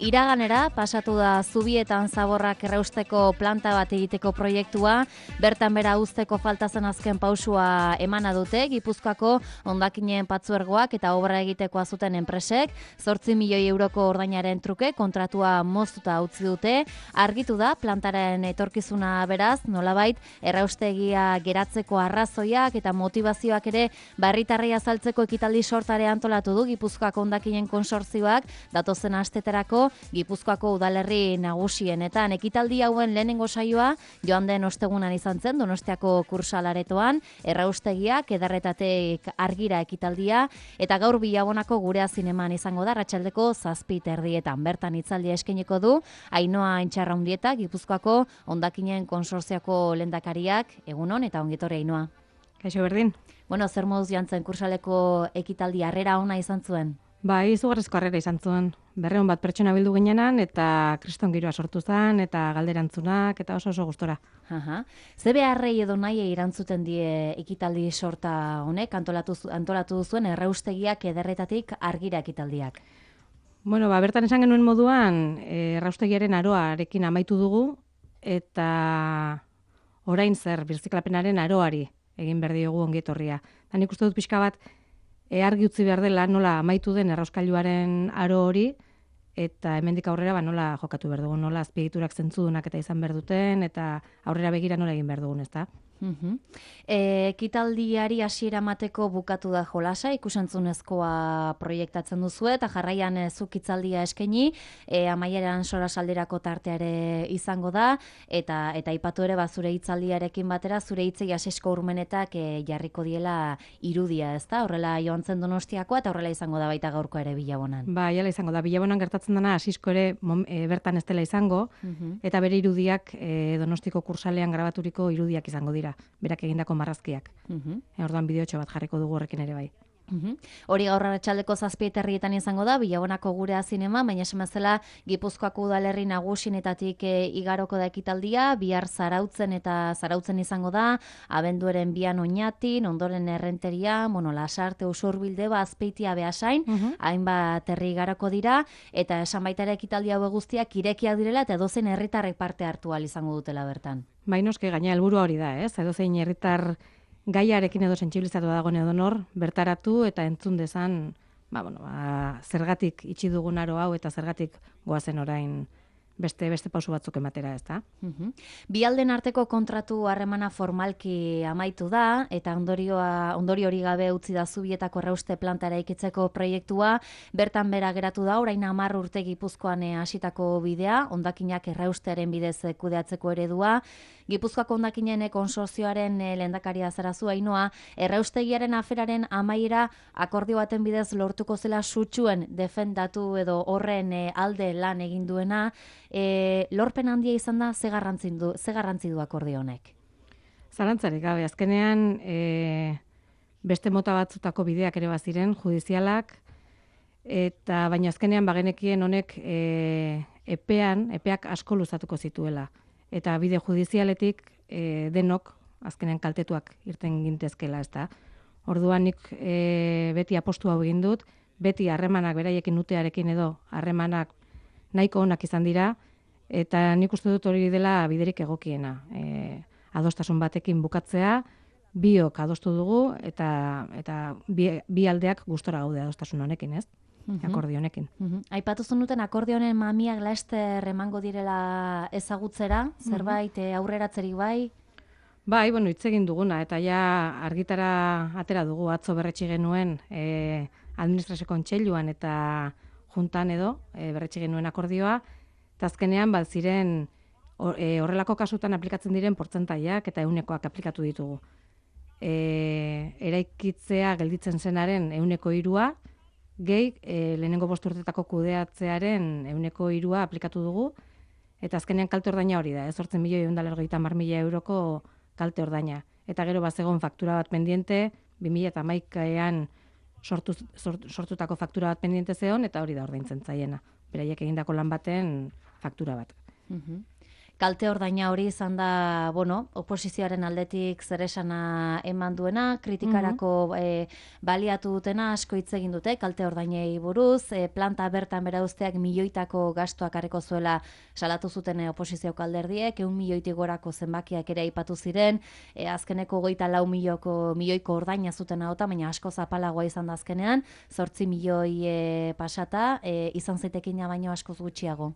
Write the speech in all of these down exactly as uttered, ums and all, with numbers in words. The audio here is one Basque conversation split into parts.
Iraganera pasatu da Zubietan zaborrak errausteko planta bat egiteko proiektua, bertan bera uzteko falta zen azken pausua emana dute, Gipuzkoako hondakinen patzuergoak eta obra egitekoa zuten enpresek, zortzi milioi euroko ordainaren truke kontratua moztuta utzi dute, argitu da plantaren etorkizuna beraz, nolabait erraustegia geratzeko arrazoiak eta motivazioak ere barritarrei azaltzeko ekitaldi sortare antolatu du Gipuzkoako hondakinen konsortzioak datozen asteterako Gipuzkoako udalerri nagusienetan. Ekitaldi hauen lehenengo saioa joan den ostegunan izan zen Donostiako kursalaretoan, erraustegiak ederretatek argira ekitaldia, eta gaur Bilabonako Gurea Zineman izango da arratsaldeko zazpi erdietan. Bertan hitzaldia eskainiko du Ainhoa Intxarraundieta, Gipuzkoako hondakinen konsortzioko lehendakariak. Egunon eta ongitorri Ainhoa. Kaixo berdin. Bueno, zer moduz joan zen kursaleko ekitaldi harrera ona izan zuen? Bai, izugarrizko harrera izan zuen. Berreun bat pertsona bildu ginenan, eta kriston giroa sortu zen, eta galderantzunak, eta oso oso gustora. Aha. Ze beharrei edo nahi erantzuten die ekitaldi sorta honek, antolatu, antolatu duzuen erraustegiak ederretatik argira ekitaldiak? Bueno, ba, bertan esan genuen moduan, erraustegiaren aroarekin amaitu dugu, eta orain zer, birziklapenaren aroari egin behar diogu ongietorria. Da nik uste dut pixka bat, E, argi utzi behar dela nola amaitu den errauskailuaren aro hori, eta hemendik aurrera ba, nola jokatu behar dugun, nola azpiegiturak zentzudunak eta izan behar duten, eta aurrera begira nola egin behar dugun, ezta? Uhum. E, ekitaldiari hasiera emateko bukatu da jolasa, ikusentzunezkoa proiektatzen duzu eta jarraian zuk hitzaldia eskaini, e, amaieran sorasaldirako tartea ere izango da, eta eta aipatu ere ba, zure hitzaldiarekin batera, zure hitzei Asisko Urmenetak e, jarriko diela irudia, ezta? Horrela joan zen Donostiakoa eta horrela izango da baita gaurko ere Bilabonan. Ba, jala izango da. Bilabonan gertatzen dena Asisko ere mom, e, bertan ez dela izango, uhum. Eta bere irudiak e, Donostiko kursalean grabaturiko irudiak izango dira. Berak egindako marrazkiak. Uh-huh. E, orduan bideotxo bat jarriko dugu horrekin ere bai. Uh-huh. Hori gaur arratsaldeko zazpi herrietan izango da, Bilabonako Gurea Zinema, baina esamazela Gipuzkoako udalerri nagusienetatik e, igaroko da ekitaldia, bihar Zarautzen eta Zarautzen izango da, abenduaren bian Oñatin, ondoren Errenteria, bueno, Lasarte, Usurbilde, Azpeitia, Beasain, uh-huh. hainbat herri igaroko dira, eta esan baita ere ekitaldi hau guztiak irekiak direla eta edozein herritarrek parte hartu ahal izango dutela bertan. Bai, noske gaina helburua hori da, ez? Edozein herritar gaiarekin edo sentsibilizatu dagoen edonor, bertaratu eta entzun dezan, ba, bueno, ba, zergatik itxi dugun aro hau eta zergatik goazen orain beste beste pausu batzuk ematera, ezta? Uh-huh. Bi alden arteko kontratu harremana formalki amaitu da eta ondorioa ondori hori gabe utzi da Zubietako errauste planta eraikitzeko proiektua, bertan bera geratu da orain hamar urte Gipuzkoan hasitako bidea, hondakinak erraustearen bidez kudeatzeko eredua. Gipuzkoako hondakinen konsortzioaren lehendakaria zarazu Ainhoa, erraustegiaren aferaren amaiera akordio baten bidez lortuko zela sutsuen defendatu edo horren alde lan egin duena. E, lorpen handia izan da, ze garrantzi du, ze garrantzi du akordio honek? Zalantzarik gabe, azkenean e, beste mota batzutako bideak ere baziren, judizialak, eta baina azkenean bagenekien honek e, epean, epeak asko luzatuko zituela. Eta bide judizialetik e, denok, azkenean kaltetuak irten gintezkela, ezta. Orduan nik e, beti apostu hau egin dut, beti harremanak beraiekin nutearekin edo harremanak nahiko onak izan dira, eta nik uste dut hori dela biderik egokiena. E, adostasun batekin bukatzea, biok adostu dugu, eta, eta bi, bi aldeak gustora gaude adostasun honekin, ez? Uh-huh. Akordio honekin. Uh-huh. Aipatu zenuten akordio honen mamiak laster emango direla ezagutzera, zerbait uh-huh. aurreratzerik bai? Bai, bueno, hitz egin duguna, eta ja argitara atera dugu atzo berretsi genuen e, administrazio kontseiluan eta juntan edo e, berretsi genuen akordioa, eta azkenean bat ziren horrelako kasutan aplikatzen diren portzentaiak eta ehunekoak aplikatu ditugu. E, eraikitzea gelditzen zenaren ehuneko hirua, gehi e, lehenengo bost urtetako kudeatzearen ehuneko hirua aplikatu dugu, eta azkenean kalte ordaina hori da, ez zortzen milioi ehun eta laurogeita hamar mila euroko kalte ordaina. Eta gero bazegon faktura bat pendiente, bi mila hamaikaean sortu, sort, sortutako faktura bat pendiente zeon, eta hori da ordaintzen zaiena. Beraiek egindako lan baten faktura bat. Uh-huh. Kalte ordaina hori izan da, bueno, oposizioaren aldetik zeresana eman duena, kritikarako e, baliatu dutena asko hitz egin dute, kalte ordainei buruz, e, planta bertan bera uzteak milioitako gastuak areko zuela salatu zuten e, oposizioko alderdiek, eun milioitik gorako zenbakiak ere aipatu ziren, e, azkeneko goita lau milioko, milioiko ordaina zuten ahota, baina asko zapalagoa izan da azkenean, zortzi milioi e, pasata, e, izan zaitekina baino askoz gutxiago.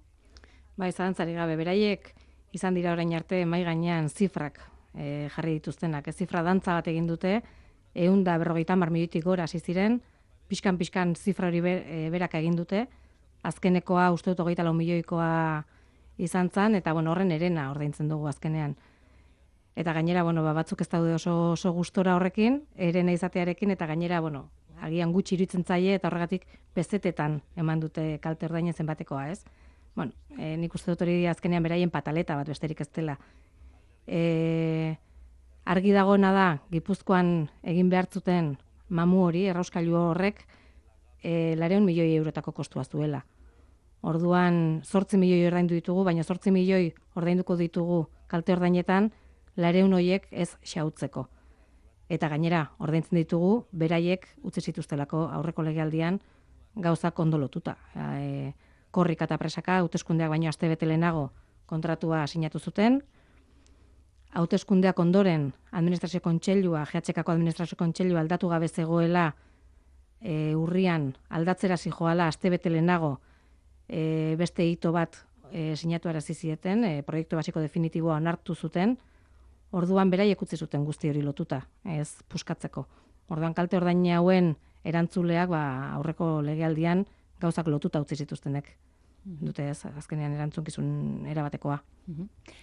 Bai, zalantzari gabe, beraiek izan dira orain arte mai gainean zifrak e, jarri dituztenak. Ez zifra dantza bat egin dute, ehun da berrogeita hamar milioitik gora hasi ziren, pixkan-pixkan zifra hori ber, e, berak egin dute, azkenekoa uste dut hogeita lau milioikoa izan zen, eta bueno, horren erena ordaintzen dugu azkenean. Eta gainera, bueno, ba, batzuk ez daude oso, oso gustora horrekin, erena izatearekin, eta gainera, bueno, agian gutxi iruditzen zaie, eta horregatik pezetetan eman dute kalte ordainen zenbatekoa, ez? Bueno, e, nik uste dut hori azkenean beraien pataleta bat besterik ez dela. E, argi dagoena da, Gipuzkoan egin behartzuten mamu hori, errauskailu horrek, e, lareun milioi eurotako kostua zuela. Orduan, zortzi milioi ordaindu ditugu, baina zortzi milioi ordainduko ditugu kalte ordainetan, lareun horiek ez xautzeko. Eta gainera, ordaintzen ditugu, beraiek utzi zituztelako aurreko legealdian gauzak ondo lotuta. E, korrika eta presaka, hauteskundeak baino aste bete lehenago kontratua sinatu zuten. Hauteskundeak ondoren, administrazio kontseilua, G H K-ko administrazio kontseilua aldatu gabe zegoela, e, urrian aldatzera zijoala aste bete lehenago, e, beste hito bat e, sinatu arazi zieten, e, proiektu basiko definitiboa onartu zuten. Orduan beraiek utzi zuten guzti hori lotuta, ez puskatzeko. Orduan kalte ordaina hauen erantzuleak ba, aurreko legealdian gauzak lotuta utzi zituztenek. Dute ez, azkenean erantzunkizun erabatekoa.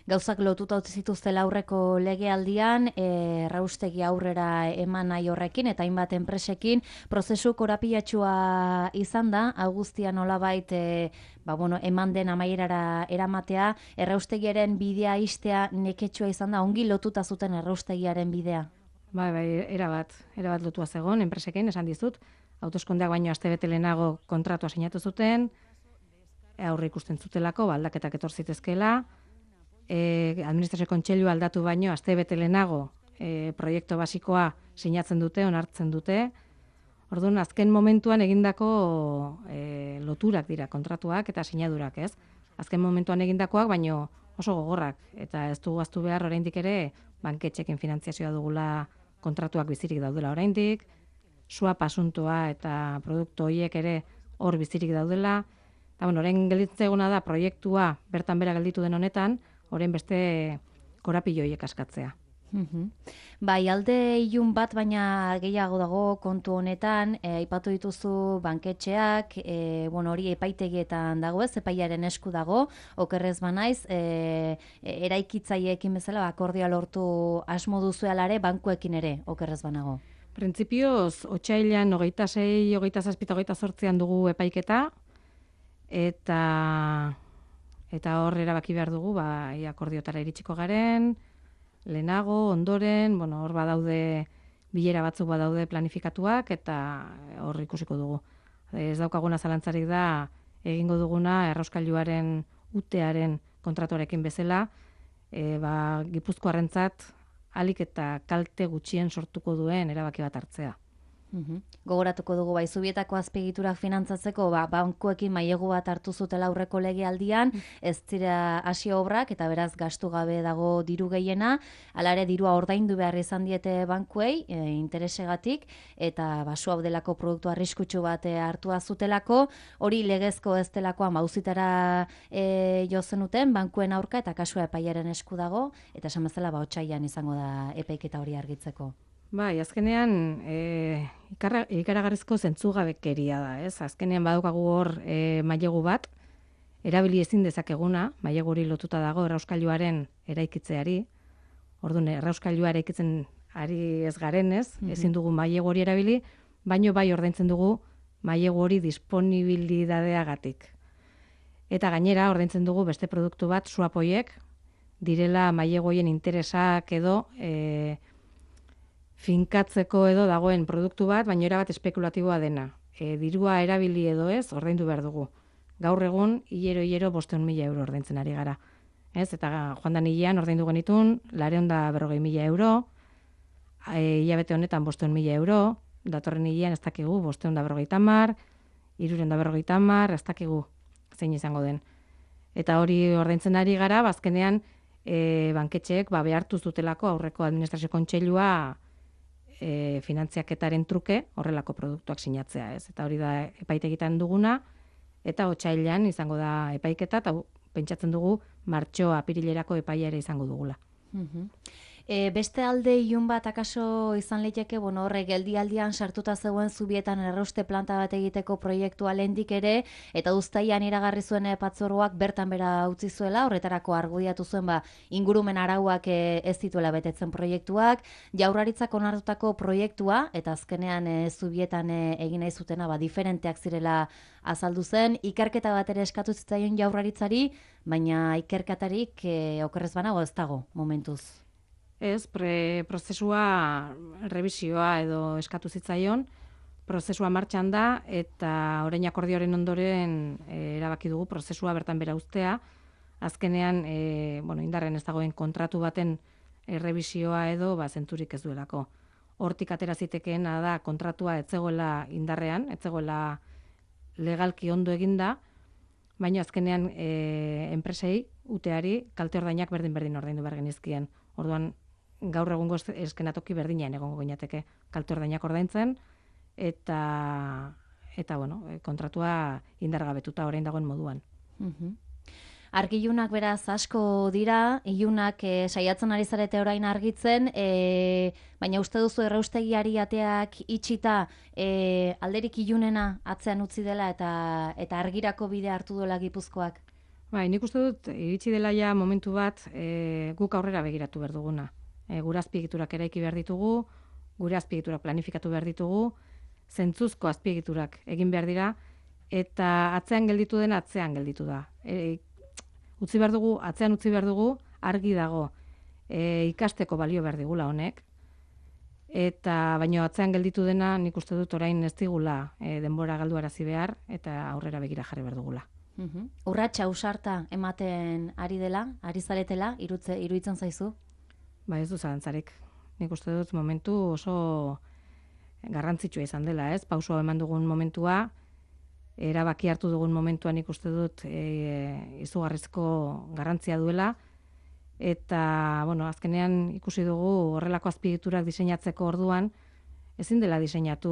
Gauzak lotuta utzi zituztela aurreko legealdian, e, erraustegi aurrera eman nahi horrekin, eta hainbat enpresekin, prozesu korapilatxua izan da, Augustia nolabait e, ba, bueno, eman den amaierara eramatea, erraustegiaren bidea istea neketsua izan da, ongi lotuta zuten erraustegiaren bidea. Bai, bai, erabat, erabat lotua zegon, enpresekin, esan dizut, hauteskundeak baino aste bete lehenago kontratua sinatu zuten, aurre ikusten zutelako, aldaketak etor zitezkeela, e, administrazio kontseilua aldatu baino aste bete lehenago e, proiektu basikoa sinatzen dute, onartzen dute. Orduan, azken momentuan egindako e, loturak dira kontratuak eta sinadurak, ez? Azken momentuan egindakoak, baino oso gogorrak, eta ez dugu aztu behar oraindik ere banketxekin finantziazioa dugula kontratuak bizirik daudela oraindik, swap asuntoa eta produktu horiek ere hor bizirik daudela. Eta, bueno, orain gelditzen eguna da proiektua bertan bera gelditu den honetan, orain beste korapilo horiek askatzea. Uhum. Bai, alde ilun bat baina gehiago dago kontu honetan, e, aipatu dituzu banketxeak, e, bueno, hori epaitegietan dago ez, epaiaren esku dago, okerrez banaiz, e, e, eraikitzaileekin bezala akordioa lortu asmo duzuelare bankuekin ere, okerrez banago. Printzipioz, otsailean hogeita sei, hogeita zazpi, hogeita zortzian dugu epaiketa, eta eta hor erabaki behar dugu, ba, akordiotara iritsiko garen, lehenago, ondoren, bueno, hor badaude bilera batzuk badaude planifikatuak, eta hor ikusiko dugu. Ez daukaguna zalantzarik da, egingo duguna errauskailuaren utearen kontratuarekin bezala, e, ba, Gipuzkoarrentzat alik eta kalte gutxien sortuko duen erabaki bat hartzea. Uhum. Gogoratuko dugu bai, Zubietako azpiegiturak finantzatzeko ba, bankuekin mailegu bat hartu zutela aurreko legealdian, ez dira hasi obrak eta beraz gastu gabe dago diru gehiena, hala ere dirua ordaindu behar izan diete bankuei e, interesegatik, eta basu hau delako produktu arriskutsu bat e, hartua zutelako, hori legezko ez delakoan bauzitara e, jo zenuten bankuen aurka eta kasua epaiaren esku dago, eta esan bezala ba otsailean izango da epaiketa hori argitzeko. Bai, azkenean e, ikaragarrizko zentzugabekeria da, ez? Azkenean badaukagu hor e, mailegu bat, erabili ezin dezakeguna, mailegu hori lotuta dago errauskailuaren eraikitzeari. Orduan, errauskailua eraikitzen ari ez garenez, mm-hmm. ezin dugu mailegu hori erabili, baino bai ordaintzen dugu mailegu hori disponibilidadeagatik. Eta gainera ordaintzen dugu beste produktu bat, swap horiek, direla mailegu horien interesak edo e, finkatzeko edo dagoen produktu bat, baina erabat espekulatiboa dena. E, dirua erabili edo ez, ordaindu behar dugu. Gaur egun, hilero-hilero bosteun mila euro ordaintzen ari gara. Ez, eta joan da nilean ordaindu genitun, lareun da berrogei mila euro, e, hilabete honetan bosteun mila euro, datorren nilean ez dakigu bosteun da berrogei tamar, irureun da berrogei tamar, ez dakigu zein izango den. Eta hori ordaintzen ari gara, bazkenean e, banketxeek ba, behartu zutelako aurreko administrazio kontseilua e, finantziaketaren truke horrelako produktuak sinatzea, ez? Eta hori da epaitegitan duguna, eta otsailean izango da epaiketa, eta pentsatzen dugu martxoa apirilerako epaia ere izango dugula. Mhm. E, beste alde ilun bat akaso izan liteke, bueno, horre geldialdian sartuta zegoen Zubietan errauste planta bat egiteko proiektua lehendik ere, eta uztaian iragarri zuen patzuergoak bertan bera utzi zuela, horretarako argudiatu zuen ba, ingurumen arauak e, ez dituela betetzen proiektuak, Jaurlaritzak onartutako proiektua, eta azkenean e, Zubietan e, egin nahi zutena ba, diferenteak zirela azaldu zen, ikerketa bat ere eskatu zitzaion Jaurlaritzari, baina ikerketarik e, okerrez banago ez dago momentuz. Ez, pre, prozesua, revisioa edo eskatu zitzaion, prozesua martxan da, eta orain akordioaren ondoren e, erabaki dugu prozesua bertan bera uztea, azkenean e, bueno, indarren ez dagoen kontratu baten e, revisioa edo ba, zenturik ez duelako. Hortik atera zitekeena da kontratua ez zegoela indarrean, ez zegoela legalki ondo eginda, baina azkenean e, enpresei, uteari, kalte ordainak berdin-berdin ordaindu behar genizkien. Orduan, gaur egungo eskenatoki berdinean egongo ginateke kalte ordainak ordaintzen, eta, eta bueno, kontratua indargabetuta orain dagoen moduan. Mhm. Argi-ilunak beraz asko dira, ilunak e, saiatzen ari zarete orain argitzen, e, baina uste duzu erraustegiari ateak itxita e, alderik ilunena atzean utzi dela eta, eta argirako bide hartu duela Gipuzkoak? Bai, nik uste dut, iritsi dela ja momentu bat e, guk aurrera begiratu behar duguna. E, gure azpiegiturak eraiki behar ditugu, gure azpiegiturak planifikatu behar ditugu, zentzuzko azpiegiturak egin behar dira, eta atzean gelditu dena atzean gelditu da. E, utzi behar dugu, atzean utzi behar dugu, argi dago e, ikasteko balio behar digula honek, eta baino atzean gelditu dena nik uste dut orain ez digula e, denbora galduarazi behar, eta aurrera begira jarri behar dugula. Uhum. Urratsa ausarta ematen ari dela, ari zaretela, irutze, iruditzen zaizu? Ba ez du zalantzarik. Nik uste dut momentu oso garrantzitsua izan dela, ez? Pausua eman dugun momentua, erabaki hartu dugun momentua nik uste dut e, izugarrizko garrantzia duela, eta, bueno, azkenean ikusi dugu horrelako azpiegiturak diseinatzeko orduan, ezin dela diseinatu,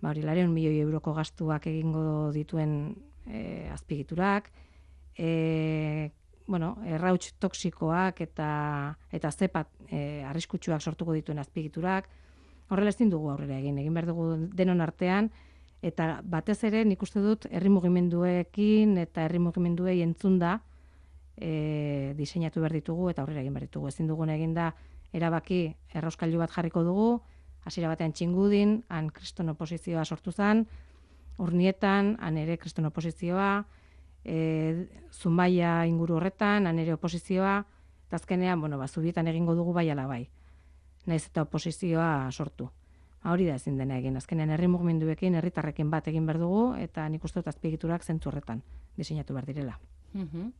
ba hori, laurehun milioi euroko gastuak egingo dituen E, azpigiturak, e, bueno, errauts toksikoak eta eta zepat e, arriskutsuak sortuko dituen azpigiturak, horrela ezin dugu aurrera egin, egin behar dugu denon artean, eta batez ere nik uste dut herri mugimenduekin eta herri mugimenduei entzunda e, diseinatu behar ditugu eta aurrera egin behar ditugu. Ezin dugun egin da erabaki errauskailu bat jarriko dugu, hasiera batean Txingudin, han kriston oposizioa sortu zen, Urnietan, han ere kriston oposizioa, e, Zumbaia inguru horretan, han ere oposizioa, eta azkenean, bueno, ba, Zubietan egingo dugu bai ala bai. Naiz eta oposizioa sortu. Ha, hori da ezin dena egin. Azkenean herri mugimenduekin, herritarrekin bat egin behar dugu, eta nik uste dut azpiegiturak zentzu horretan diseinatu behar direla. Mhm.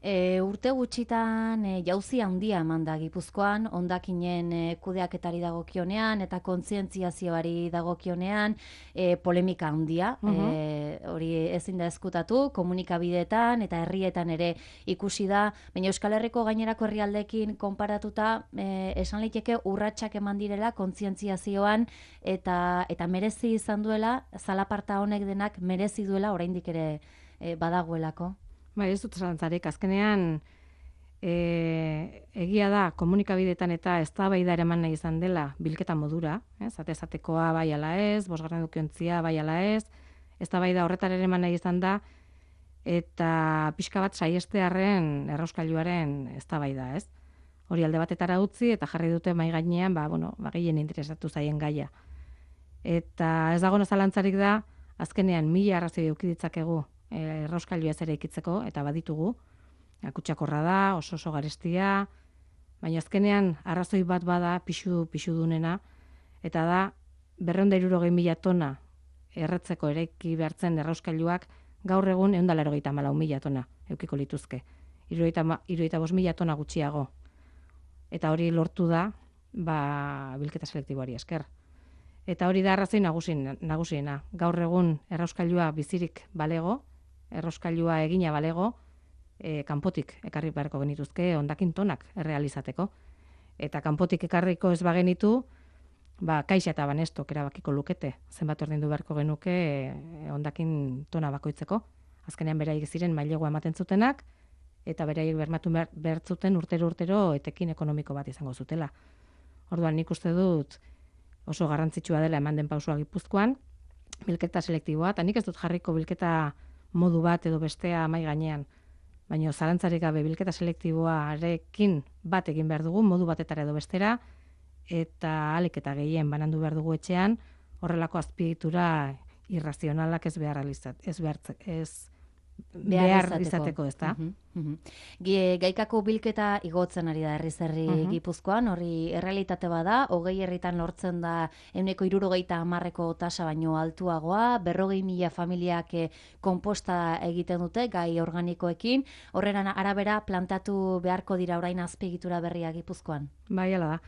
E, urte gutxitan e, jauzi handia eman da Gipuzkoan, hondakinen e, kudeaketari dagokionean eta kontzientziazioari dagokionean, e, polemika handia, Mhm. e, hori ezin da ezkutatu, komunikabideetan eta herrietan ere ikusi da, baina Euskal Herriko gainerako herrialdeekin konparatuta e, esan liteke urratsak eman direla kontzientziazioan eta eta merezi izan duela, zalaparta honek denak merezi duela oraindik ere e, badagoelako. Bai, ez dut zalantzarik, azkenean e, egia da komunikabideetan eta eztabaida eraman nahi izan dela bilketa modura, ez? Atezatekoa bai ala ez, bosgarren edukiontzia bai ala ez, eztabaida horretar ere eman nahi izan da, eta pixka bat saiestearren errauskailuaren eztabaida, ez? Hori alde batetara utzi eta jarri dute mai gainean, ba bueno, ba gehien interesatu zaien gaia. Eta ez dago zalantzarik da, azkenean mila arrazoi eduki ditzakegu errauskailua ere ikitzeko, eta baditugu, kutsakorra da, oso oso garestia, baina azkenean arrazoi bat bada pixu pixudunena, eta da berrehun eta hirurogei mila tona erretzeko eraiki behartzen errauskailuak gaur egun ehun eta laurogeita hamalau mila tona eukiko lituzke. hirurogeita bost mila tona gutxiago. Eta hori lortu da, ba, bilketa selektiboari esker. Eta hori da arrazoi nagusien, nagusiena. Gaur egun errauskailua bizirik balego, errauskailua egina balego, e, kanpotik ekarri beharko genituzke hondakin tonak errealizateko. Eta kanpotik ekarriko ez bagenitu, ba, Kaixa eta Banestok erabakiko lukete, zenbat ordaindu beharko genuke hondakin tona bakoitzeko. Azkenean beraiek ziren mailegua ematen zutenak, eta beraiek bermatu behar zuten urtero urtero etekin ekonomiko bat izango zutela. Orduan nik uste dut oso garrantzitsua dela eman den pausua Gipuzkoan, bilketa selektiboa, eta nik ez dut jarriko bilketa modu bat edo bestea mai gainean, baina zalantzarik gabe bilketa selektiboarekin bat egin behar dugu, modu batetara edo bestera, eta alik eta gehien banandu behar dugu etxean, horrelako azpiegitura irrazionalak ez behar ez behar ez behar izateko, ez da? Uh -huh, uh -huh. Gaikako bilketa igotzen ari da herriz herri uh -huh. Gipuzkoan, hori errealitate bada, hogei herritan lortzen da ehuneko hirurogeita hamarreko tasa baino altuagoa, berrogei mila familiak konposta egiten dute gai organikoekin, horren arabera plantatu beharko dira orain azpiegitura berria Gipuzkoan. Bai, hala da.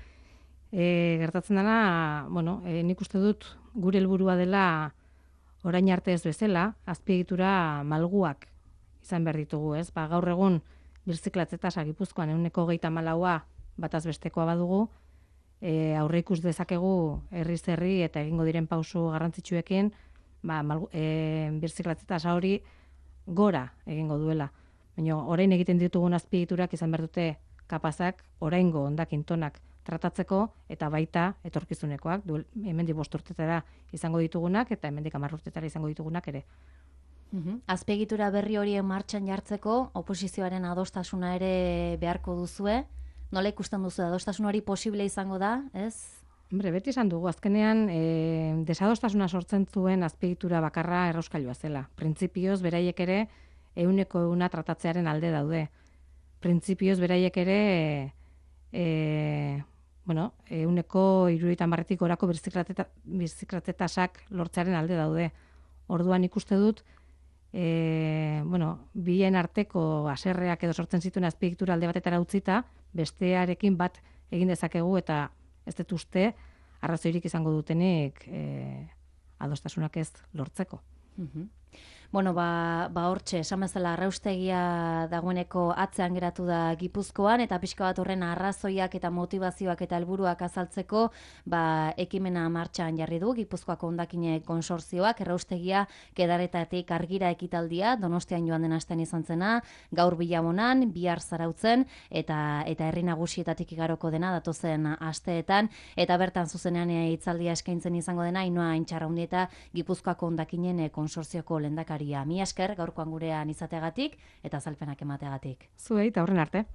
E, gertatzen dena, bueno, e, nik uste dut gure helburua dela orain arte ez bezala, azpiegitura malguak izan behar ditugu, ez? Ba, gaur egun birziklatze tasa Gipuzkoan ehuneko hogeita hamalaua bataz bestekoa badugu, e, aurre ikus dezakegu herriz herri eta egingo diren pausu garrantzitsuekin, ba, malgu, e, birziklatze tasa hori gora egingo duela. Baina orain egiten ditugun azpiegiturak izan behar dute kapazak oraingo hondakin tonak tratatzeko eta baita etorkizunekoak, hemendik bost urtetara izango ditugunak eta hemendik hamar urtetara izango ditugunak ere. Uh-huh. Azpiegitura berri horien martxan jartzeko oposizioaren adostasuna ere beharko duzue. Nola ikusten duzu adostasun hori posible izango da, ez? Hombre, beti esan dugu, azkenean e, desadostasuna sortzen zuen azpiegitura bakarra errauskailua zela. Printzipioz beraiek ere ehuneko ehuna tratatzearen alde daude. Printzipioz beraiek ere e, bueno, ehuneko hirurogeita hamarretik gorako birziklatze tasak lortzearen alde daude. Orduan ikuste dut, e, bueno, bien arteko haserreak edo sortzen zituen azpiegitura alde batetara utzita, bestearekin bat egin dezakegu eta ez dut uste arrazoirik izango dutenik e, adostasunak ez lortzeko. Uh-huh. Bueno, ba, ba hortxe, esan bezala arraustegia dagoeneko atzean geratu da Gipuzkoan, eta pixka bat horren arrazoiak eta motivazioak eta helburuak azaltzeko, ba, ekimena martxan jarri du Gipuzkoako hondakine konsortzioak, erraustegia kedaretatik argira ekitaldia, Donostian joan den astean izan zena, gaur Bilamonan, bihar Zarautzen, eta eta herri nagusietatik igaroko dena datozen asteetan, eta bertan zuzenean hitzaldia eskaintzen izango dena, Ainhoa Aintxarraundi eta Gipuzkoako hondakinen konsortzioko lehendakari. Mi esker gaurkoan gurean izateagatik eta azalpenak emateagatik. Zuei, eta horren arte.